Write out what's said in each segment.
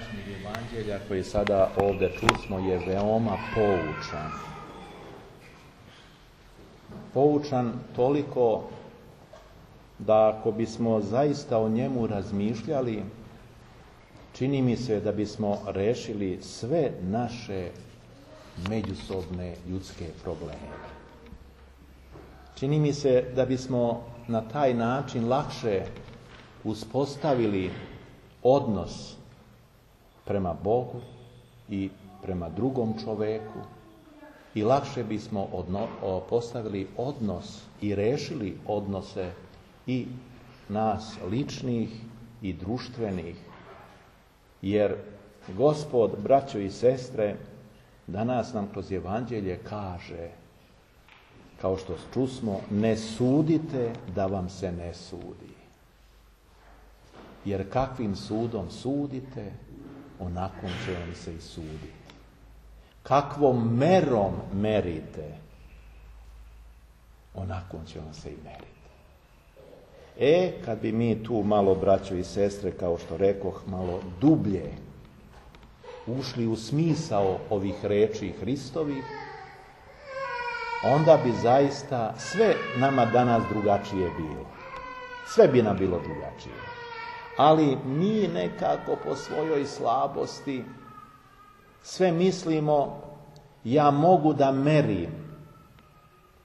današnjeg evanđelja koji sada ovdje čusmo je veoma poučan. Poučan toliko da ako bismo zaista o njemu razmišljali, čini mi se da bismo rešili sve naše međusobne ljudske probleme. Čini mi se da bismo na taj način lakše uspostavili odnos prema Bogu i prema drugom čoveku i lakše bismo postavili odnos i rešili odnose i nas ličnih i društvenih. Jer Gospod, braćo i sestre, danas nam kroz evanđelje kaže, kao što čusmo, ne sudite da vam se ne sudi. Jer kakvim sudom sudite, onakom će vam se i suditi. Kakvom merom merite, onakom će vam se i meriti. Kad bi mi tu malo, braćo i sestre, kao što rekoh, malo dublje ušli u smisao ovih reči Hristovih, onda bi zaista sve nama danas drugačije bilo. Sve bi nam bilo drugačije. Ali mi nekako po svojoj slabosti sve mislimo, ja mogu da merim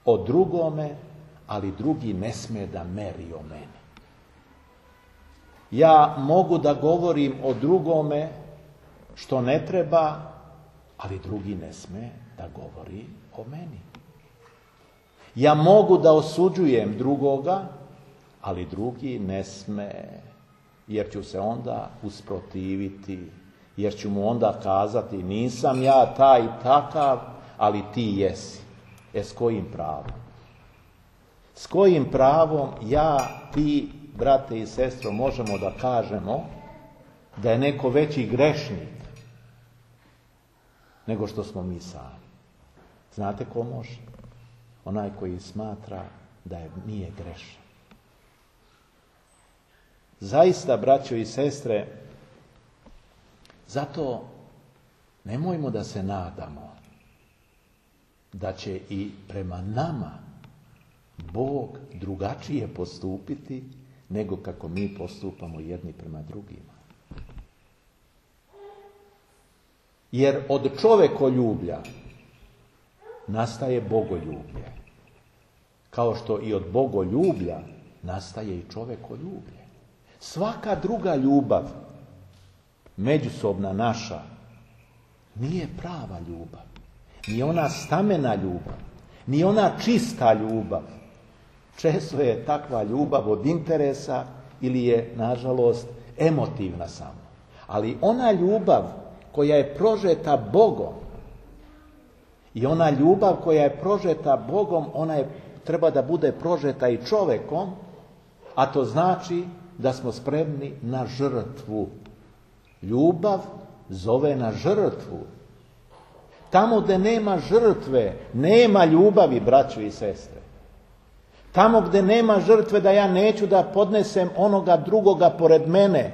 o drugome, ali drugi ne sme da meri o meni. Ja mogu da govorim o drugome što ne treba, ali drugi ne sme da govori o meni. Ja mogu da osuđujem drugoga, ali drugi ne sme, jer ću se onda usprotiviti, jer ću mu onda kazati, nisam ja taj i takav, ali ti jesi. S kojim pravom? S kojim pravom ja, ti, brate i sestro, možemo da kažemo da je neko veći grešnik nego što smo mi sami? Znate ko može? Onaj koji smatra da nije grešan. Zaista, braćo i sestre, zato nemojmo da se nadamo da će i prema nama Bog drugačije postupiti nego kako mi postupamo jedni prema drugima. Jer od čovekoljublja nastaje bogoljublje. Kao što i od bogoljublja nastaje i čovekoljublje. Svaka druga ljubav, međusobna naša, nije prava ljubav. Ni ona stamena ljubav, ni ona čista ljubav. Često je takva ljubav od interesa ili je, nažalost, emotivna samo. Ali ona ljubav koja je prožeta Bogom i ona ljubav koja je prožeta Bogom, ona treba da bude prožeta i čovekom, a to znači da smo spremni na žrtvu. Ljubav zove na žrtvu. Tamo gde nema žrtve, nema ljubavi, braćo i sestre. Tamo gde nema žrtve, da ja neću da podnesem onoga drugoga pored mene,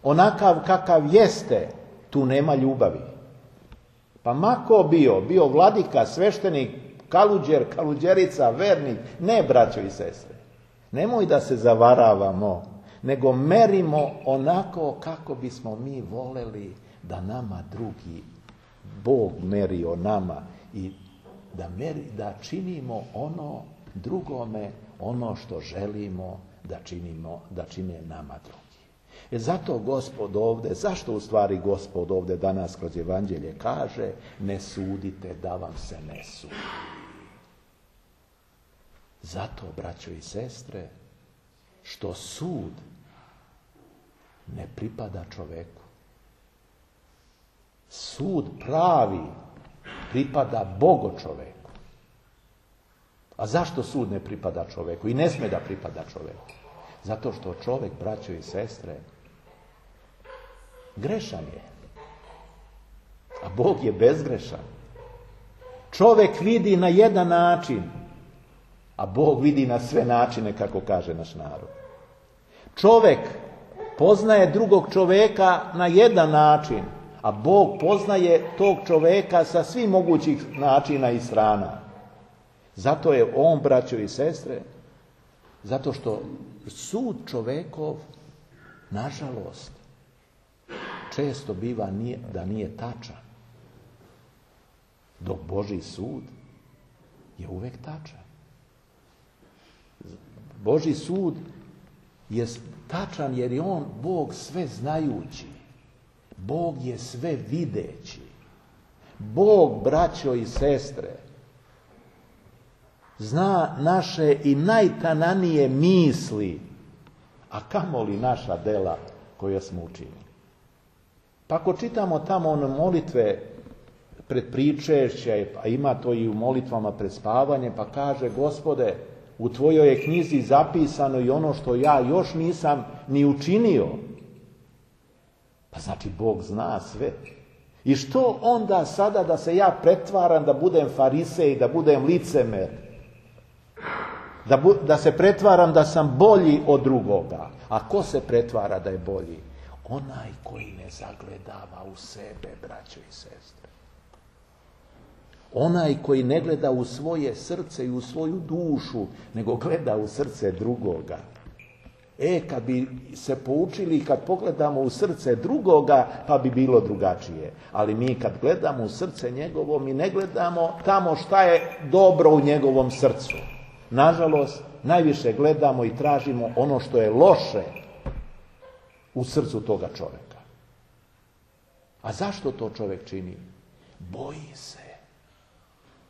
onakav kakav jeste, tu nema ljubavi. Pa mako bio vladika, sveštenik, kaluđer, kaluđerica, vernik, ne, braćo i sestre. Nemoj da se zavaravamo, nego merimo onako kako bismo mi voleli da nama drugi Bog meri o nama i da činimo ono drugome, ono što želimo da čine nama drugi. Zato Gospod ovdje, zašto u stvari Gospod ovdje danas kroz evanđelje kaže, ne sudite da vam se ne sudi. Zato, braćo i sestre, što sud ne pripada čoveku. Sud pravi pripada Bogu čoveku. A zašto sud ne pripada čoveku i ne sme da pripada čoveku? Zato što čovek, braćo i sestre, grešan je. A Bog je bezgrešan. Čovek vidi na jedan način, a Bog vidi na sve načine, kako kaže naš narod. Čovek poznaje drugog čovjeka na jedan način, a Bog poznaje tog čovjeka sa svih mogućih načina i strana. Zato je on, braćo i sestre, zato što sud čovjekov, nažalost, često biva da nije tačan. Dok Božji sud je uvijek tačan. Božji sud je tačan jer je on Bog sve znajući. Bog je sve videći. Bog, braćo i sestre, zna naše i najtananije misli, a kamoli naša dela koje smo učinili. Pa ako čitamo tamo one molitve pred pričešće, a ima to i u molitvama pred spavanje, pa kaže: Gospode, u tvojoj je knjizi zapisano i ono što ja još nisam ni učinio. Pa znači Bog zna sve. I što onda sada da se ja pretvaram da budem farisej, da budem licemer, da se pretvaram da sam bolji od drugoga? A ko se pretvara da je bolji? Onaj koji ne zagledava u sebe, braćo i sestre. Onaj koji ne gleda u svoje srce i u svoju dušu, nego gleda u srce drugoga. Kad bi se poučili, kad pogledamo u srce drugoga, pa bi bilo drugačije. Ali mi kad gledamo u srce njegovo, mi ne gledamo tamo šta je dobro u njegovom srcu. Nažalost, najviše gledamo i tražimo ono što je loše u srcu toga čovjeka. A zašto to čovjek čini? Boji se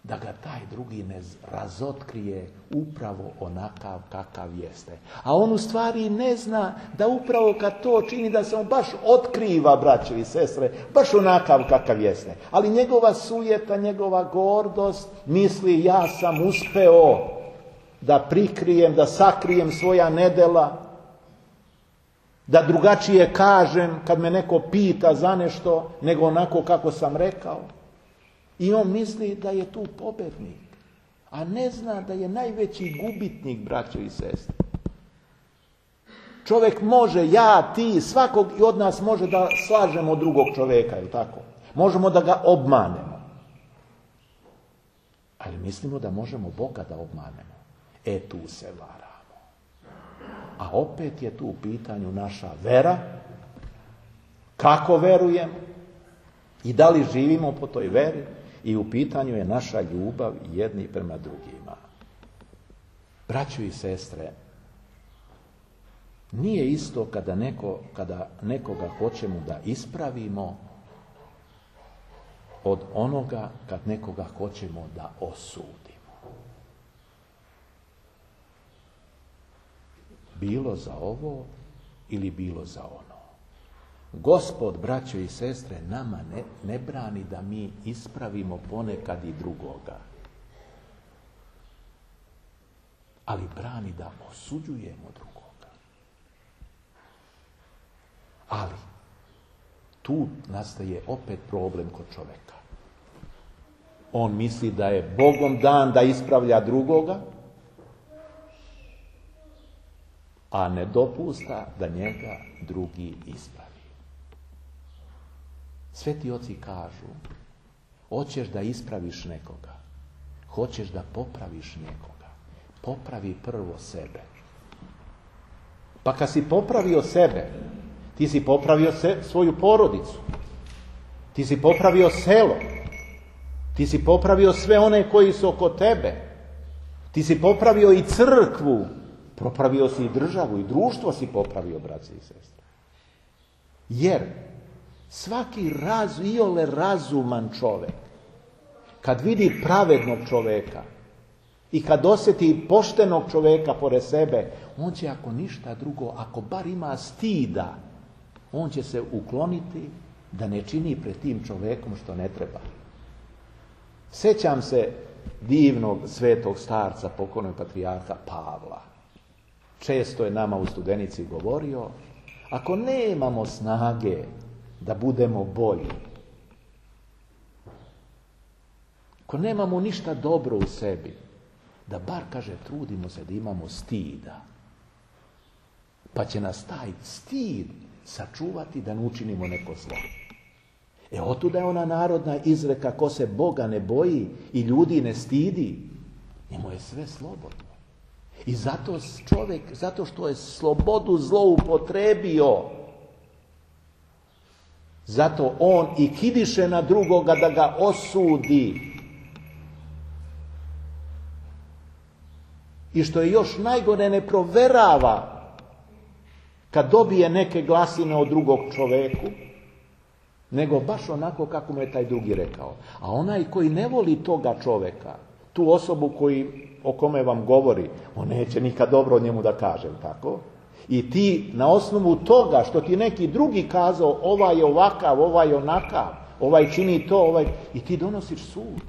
da ga taj drugi ne razotkrije upravo onakav kakav jeste. A on u stvari ne zna da upravo kad to čini da se on baš otkriva, braćo i sestre, baš onakav kakav jeste. Ali njegova sujeta, njegova gordost misli: ja sam uspeo da prikrijem, da sakrijem svoja nedela, da drugačije kažem kad me neko pita za nešto, nego onako kako sam rekao. I on misli da je tu pobednik, a ne zna da je najveći gubitnik, braćo i sestre. Čovjek može, ja, ti, svakog i od nas može da slažemo drugog čovjeka, je li tako? Možemo da ga obmanemo. Ali mislimo da možemo Boga da obmanemo. Tu se varamo. A opet je tu u pitanju naša vera, kako verujemo i da li živimo po toj veri, i u pitanju je naša ljubav jedni prema drugima. Braćo i sestre, nije isto kada nekoga hoćemo da ispravimo od onoga kad nekoga hoćemo da osudimo. Bilo za ovo ili bilo za ono. Gospod, braćo i sestre, nama ne brani da mi ispravimo ponekad i drugoga. Ali brani da osuđujemo drugoga. Ali tu nastaje opet problem kod čovjeka. On misli da je Bogom dan da ispravlja drugoga, a ne dopušta da njega drugi ispravi. Sveti oci kažu: hoćeš da ispraviš nekoga, hoćeš da popraviš nekoga, popravi prvo sebe. Pa kad si popravio sebe, ti si popravio svoju porodicu, ti si popravio selo, ti si popravio sve one koji su oko tebe, ti si popravio i crkvu, popravio si i državu i društvo si popravio, braći i sestre. Jer svaki iole razuman čovjek, kad vidi pravednog čovjeka i kad osjeti poštenog čovjeka pored sebe, on će, ako ništa drugo, ako bar ima stida, on će se ukloniti da ne čini pred tim čovjekom što ne treba. Sjećam se divnog svetog starca, pokojnog patrijarha Pavla. Često je nama u Studenici govorio: ako nemamo snage da budemo bolji, ako nemamo ništa dobro u sebi, da bar, kaže, trudimo se da imamo stida. Pa će nas taj stid sačuvati da ne učinimo neko zlo. Otuda je ona narodna izreka, ko se Boga ne boji i ljudi ne stidi, njemu je sve slobodno. I zato čovjek, zato što je slobodu zloupotrebio, zato on i kidiše na drugoga da ga osudi. I što je još najgore, ne proverava kad dobije neke glasine od drugog čoveku, nego baš onako kako mu je taj drugi rekao. A onaj koji ne voli toga čoveka, tu osobu o kome vam govori, on neće nikad dobro o njemu da kaže, tako? I ti na osnovu toga što ti neki drugi kazao, ovaj je ovakav, ovaj je onakav, ovaj čini to, i ti donosiš sud.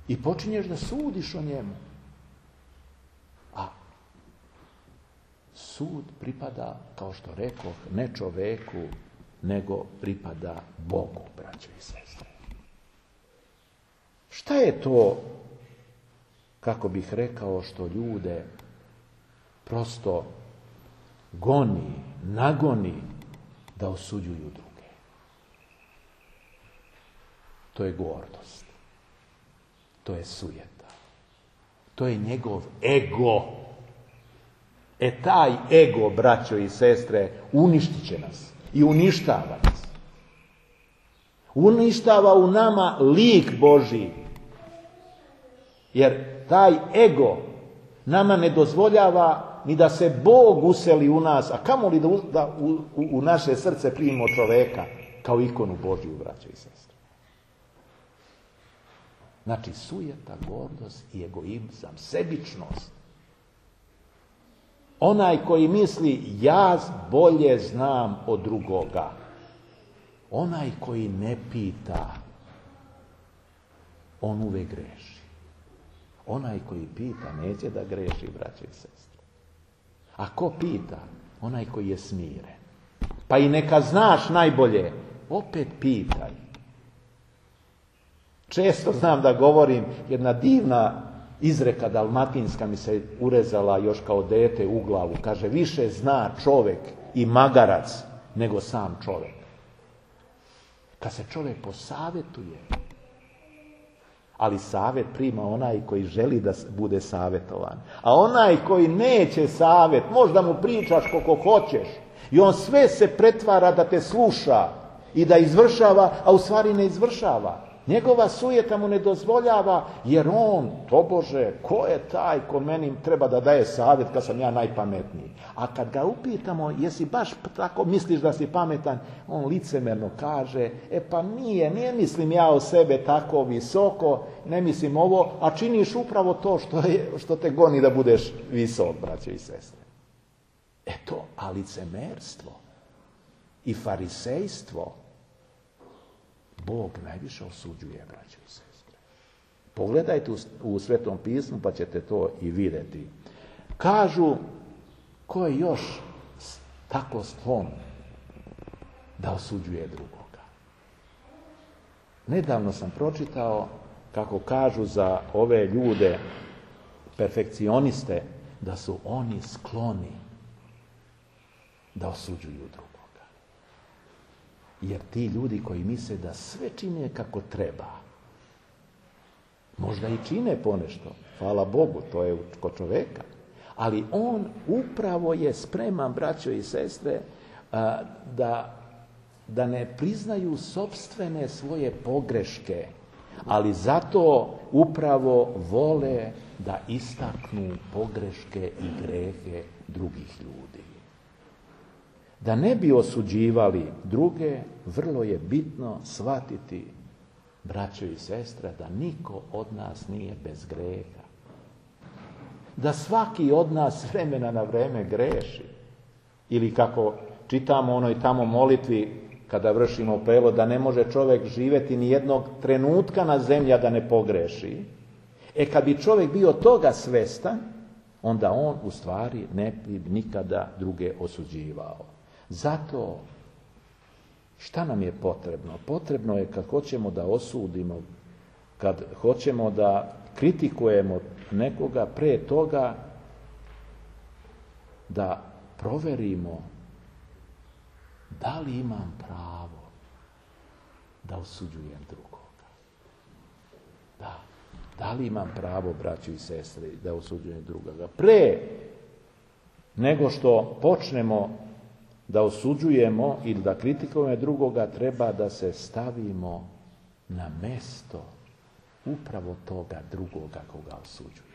I počinješ da sudiš o njemu. A sud pripada, kao što rekoh, ne čoveku, nego pripada Bogu, braćo i sestre. Šta je to, kako bih rekao, što ljude prosto goni, nagoni da osuđuju druge? To je gordost. To je sujeta. To je njegov ego. Taj ego, braćo i sestre, uništit će nas. I uništava nas. Uništava u nama lik Božji. Jer taj ego nama ne dozvoljava ni da se Bog useli u nas, a kamoli da u naše srce primimo čoveka kao ikonu Božju, braćo i sestre. Znači, sujeta, gordost i egoizam, sebičnost. Onaj koji misli, ja bolje znam od drugoga. Onaj koji ne pita, on uvek greši. Onaj koji pita, neće da greši, braće i sestre. A ko pita? Onaj koji je smiren. Pa i neka znaš najbolje, opet pitaj. Često znam da govorim, jedna divna izreka dalmatinska mi se urezala još kao dete u glavu. Kaže, više zna čovjek i magarac nego sam čovjek. Kad se čovjek posavjetuje, ali savjet prima onaj koji želi da bude savjetovan. A onaj koji neće savjet, možda mu pričaš koliko hoćeš i on sve se pretvara da te sluša i da izvršava, a u stvari ne izvršava. Njegova sujeta mu ne dozvoljava, jer on, tobože, ko je taj ko meni treba da daje savjet kad sam ja najpametniji? A kad ga upitamo, jesi baš tako misliš da si pametan, on licemerno kaže, pa nije mislim ja o sebe tako visoko, ne mislim ovo, a činiš upravo to što te goni da budeš visok, braćo i sestre. A licemerstvo i farisejstvo Bog najviše osuđuje, braćo i sestre. Pogledajte u Svetom pismu pa ćete to i vidjeti. Kažu, ko je još tako sklon da osuđuje drugoga? Nedavno sam pročitao kako kažu za ove ljude, perfekcioniste, da su oni skloni da osuđuju drugoga. Jer ti ljudi koji misle da sve čine kako treba, možda i čine ponešto, hvala Bogu, to je kod čoveka, ali on upravo je spreman, braćo i sestre, da ne priznaju sopstvene svoje pogreške, ali zato upravo vole da istaknu pogreške i grehe drugih ljudi. Da ne bi osuđivali druge, vrlo je bitno shvatiti, braćo i sestre, da niko od nas nije bez greha. Da svaki od nas s vremena na vreme greši. Ili kako čitamo u onoj tamo molitvi, kada vršimo prevod, da ne može čovjek živjeti ni jednog trenutka na zemlji da ne pogreši. Kad bi čovjek bio toga svestan, onda on u stvari ne bi nikada druge osuđivao. Zato, šta nam je potrebno? Potrebno je kad hoćemo da osudimo, kad hoćemo da kritikujemo nekoga, pre toga da proverimo da li imam pravo da osuđujem drugoga. Da li imam pravo, braćo i sestre, da osuđujem drugoga? Pre nego što počnemo da osuđujemo ili da kritikujemo drugoga, treba da se stavimo na mesto upravo toga drugoga koga osuđujemo.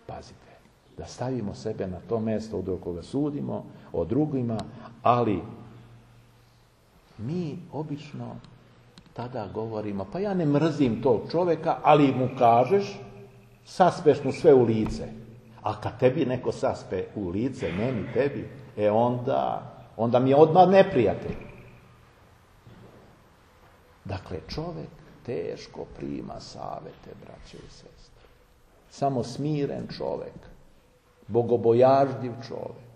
Pazite, da stavimo sebe na to mesto od koga sudimo, o drugima, ali mi obično tada govorimo, pa ja ne mrzim tog čovjeka, ali mu kažeš, saspeš mu sve u lice. A kad tebi neko saspe u lice, meni, tebi, onda mi je odmah neprijatelj. Dakle, čovjek teško prima savete, braće i sestre. Samo smiren čovjek, bogobojažljiv čovjek,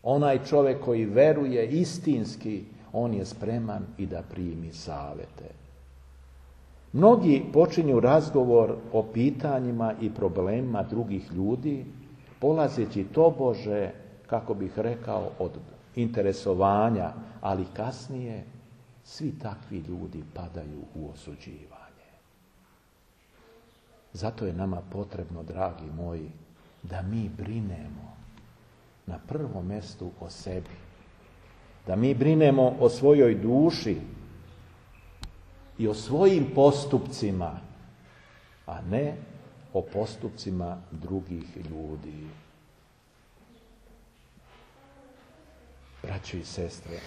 onaj čovjek koji veruje istinski, on je spreman i da primi savete. Mnogi počinju razgovor o pitanjima i problemima drugih ljudi, polazeći tobože, kako bih rekao, od interesovanja, ali kasnije svi takvi ljudi padaju u osuđivanje. Zato je nama potrebno, dragi moji, da mi brinemo na prvom mjestu o sebi, da mi brinemo o svojoj duši i o svojim postupcima, a ne o postupcima drugih ljudi. Braćo i sestre,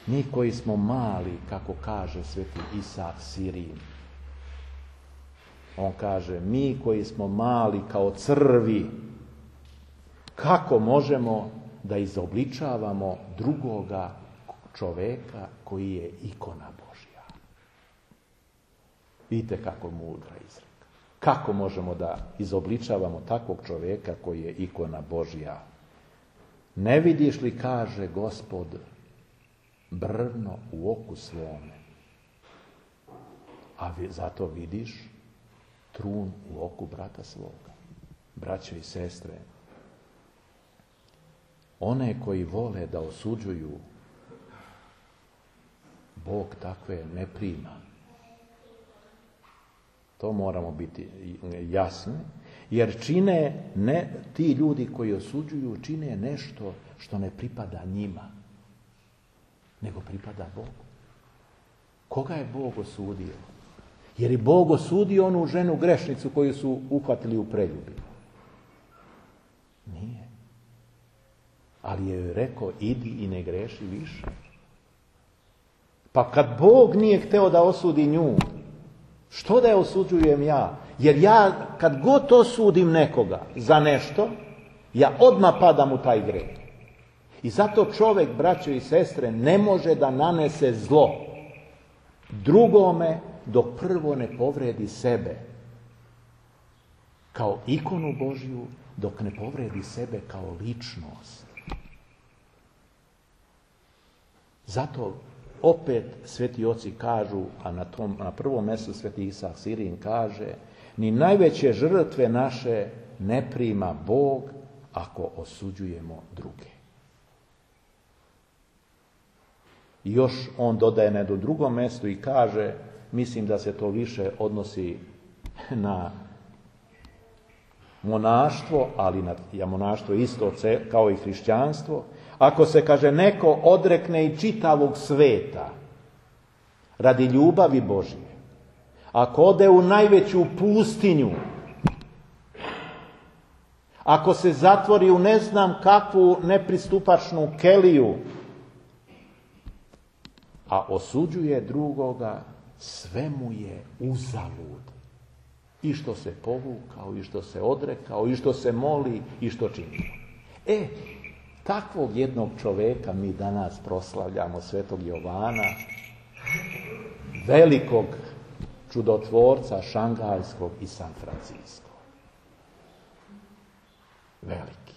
mi koji smo mali, kako kaže sveti Isak Sirin, on kaže, mi koji smo mali kao crvi, kako možemo da izobličavamo drugoga čoveka koji je ikona Božja? Vidite kako mudra izreka. Kako možemo da izobličavamo takvog čoveka koji je ikona Božja? Ne vidiš li, kaže Gospod, brvno u oku svome, a zato vidiš trun u oku brata svoga. Braćo i sestre, one koji vole da osuđuju, Bog takve ne prima. To moramo biti jasni, jer ti ljudi koji osuđuju čine nešto što ne pripada njima, nego pripada Bogu. Koga je Bog osudio? Jer je Bog osudio onu ženu grešnicu koju su uhvatili u preljubi? Nije. Ali je rekao, idi i ne greši više. Pa kad Bog nije hteo da osudi nju, što da je osuđujem ja? Jer ja kad god osudim nekoga za nešto, ja odmah padam u taj greh. I zato čovjek, braćo i sestre, ne može da nanese zlo drugome dok prvo ne povredi sebe kao ikonu Božju, dok ne povredi sebe kao ličnost. Zato opet sveti oci kažu, a na prvom mjestu sveti Isak Sirin kaže, ni najveće žrtve naše ne prima Bog ako osuđujemo druge. I još on dodaje na jednom drugom mjestu i kaže, mislim da se to više odnosi na monaštvo, ali monaštvo isto kao i hrišćanstvo. Ako se, kaže, neko odrekne i čitavog sveta radi ljubavi Božje, ako ode u najveću pustinju, ako se zatvori u ne znam kakvu nepristupačnu keliju, a osuđuje drugoga, sve mu je uzalud. I što se povukao, i što se odrekao, i što se moli, i što čini. Takvog jednog čoveka mi danas proslavljamo, svetog Jovana, velikog čudotvorca šanghajskog i San Francisco. Veliki.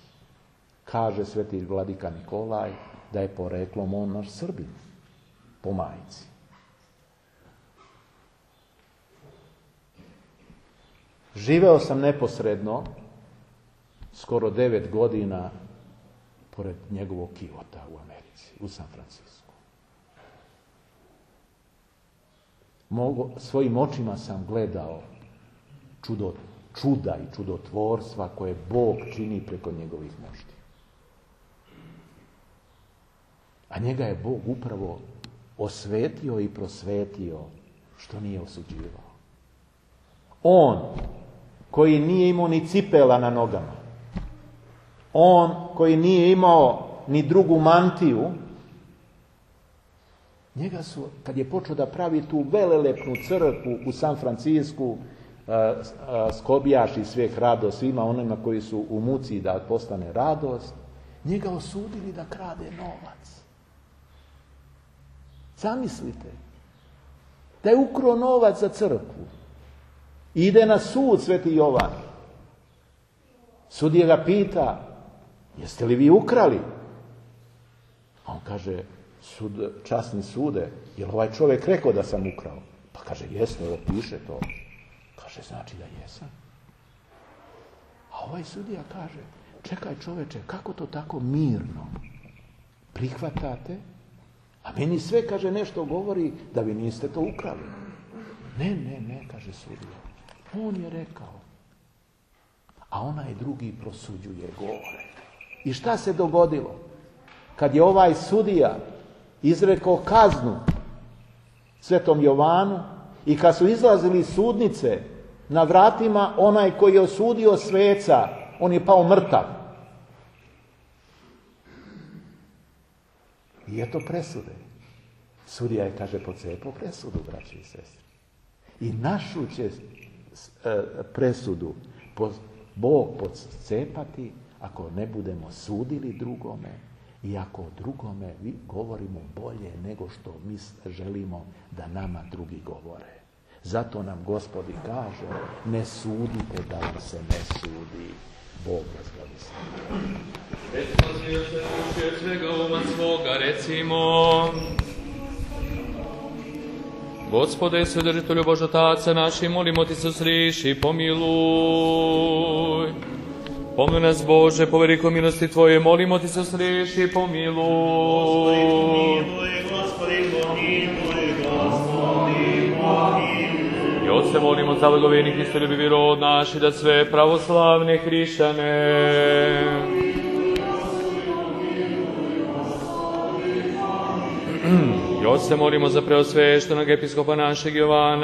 Kaže sveti vladika Nikolaj da je poreklom on naš Srbin, po majci. Živeo sam neposredno skoro 9 godina pored njegovog kivota u Americi, u San Francisku. Svojim očima sam gledao čuda i čudotvorstva koje Bog čini preko njegovih mošti. A njega je Bog upravo osvetio i prosvetio što nije osuđivao. On koji nije imao ni cipela na nogama, on koji nije imao ni drugu mantiju, njega su, kad je počeo da pravi tu velelepnu crkvu u San Francisku, skobijaši svijeh radost svima onima koji su u muci da postane radost, njega osudili da krade novac. Zamislite, da je ukrao novac za crkvu. Ide na sud Sveti Jovan. Sudija ga pita, jeste li vi ukrali? A on kaže, časni sude, je li ovaj čovjek rekao da sam ukrao? Pa kaže, jesno, ovo piše to. Kaže, znači da jesam. A ovaj sudija kaže, čekaj čoveče, kako to tako mirno prihvatate? A meni sve, kaže, nešto govori da vi niste to ukrali. Ne, kaže sudija. On je rekao. A onaj drugi prosuđuje gore. I šta se dogodilo? Kad je ovaj sudija izrekao kaznu Svetom Jovanu i kad su izlazili iz sudnice, na vratima onaj koji je osudio sveca, on je pao mrtav. I eto presude. Sudija je, kaže, pocepao presudu, braći i sestri. I našu će presudu Bog pocepati ako ne budemo sudili drugome i ako drugome govorimo bolje nego što mi želimo da nama drugi govore. Zato nam Gospod i kaže, ne sudite da vam se ne sudi. Bog vas blagoslovi. Od svega uma svoga recimo: Gospode, Svedržitelju Božotaca naši, molimo ti se usliši, pomiluj. Pomili nas, Bože, po velikoj milosti Tvoje, molimo ti se usliši, pomiluj. I Otce, molimo za blagoveni Hristoljubivi rod naš i da sve pravoslavne hrišćane i Otce, molimo za preosveštenog episkopa našeg Jovana